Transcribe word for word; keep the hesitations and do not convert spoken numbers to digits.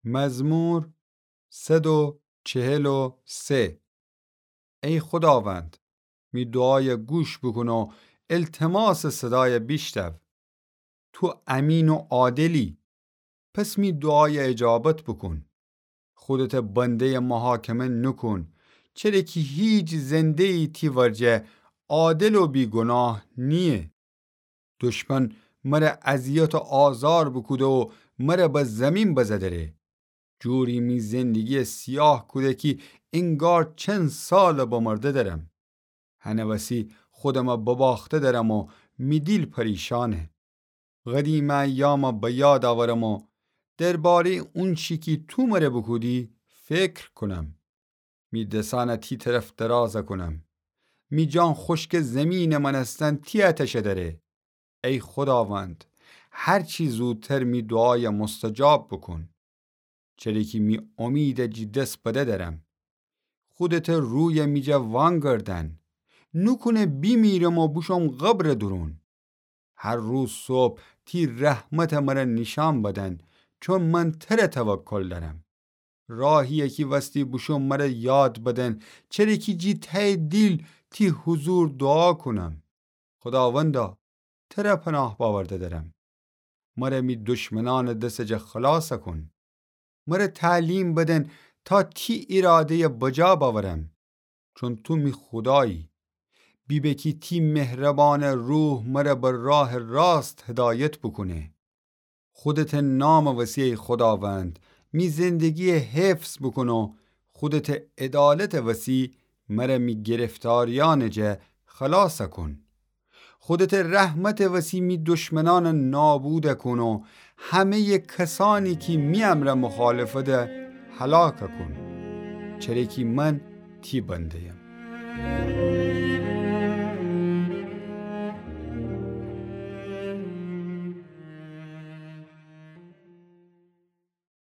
مزمور صد و چهل و سه. ای خوداوند، می دوعایَ گوش بوکون و التماسٚ صدایَ بیشتو. تو امین و عادلی، پس می دوعایَ اجابت بوکون. خودتٚ بنده‌یَ محاکمه نوکون، چره کی هیچ زنده‌یی تی ورجه عادل و بیگوناه نییه. دشمن مره اذیت و آزار بوکوده و مره به زیمین بزه‌دره. جوری می زندگیَ سیاه کوده کی انگار چند سالٚ بمرده درم. هنٚ وسی خودمَ بباخته درم و می دیل پریشانه. قدیمٚ ایامَ به یاد اورم و درباره‌یٚ اونچی کی تو مره بوکودی فکر کونم. می دسأنَ تی طرف درازَ کونم. می جان خوشکٚ زیمینٚ مأنستن تی آتشَ دره. ای خوداوند، هرچی زودتر می دوعایَ مستجاب بوکون. چره کی می امیدَ جی دس بده درم. خودتٚ رویَ می جا وانگردن. نوکونه بیمیرم و بوشوم قبرٚ دورون. هر روز صبح تی رحمتَ مره نیشأن بدن، چون من تره توکل دأرم. راهی‌یَ کی وستی بوشوم مره یاد بدن، چره کی جی تأیٚ دیل تی حضور دوعا کونم. خوداوندا، تره پناه بأورده دأرم. مره می دشمنأنٚ دسٚ جا خلاصَ کون. مره تعلیم بدن تا تی ایراده‌یَ بجا بأورم، چون تو می خودایی. بیبه کی تی مهربانٚ روح مره به راهٚ راست هدایت بوکونه. خودتٚ نامٚ وسی ای خوداوند، می زندگی‌یَ حفظ بوکون و خودتٚ عدالتٚ وسی مره می گرفتاریأنٚ جا خلاصَ کون. خودتٚ رحمتٚ وسی می دشمنأنَ نابودَ کون و همه‌یٚ کسأنی کی می امرأ مخالفت هلاکَ کون. چره کی من تی بنده‌یم.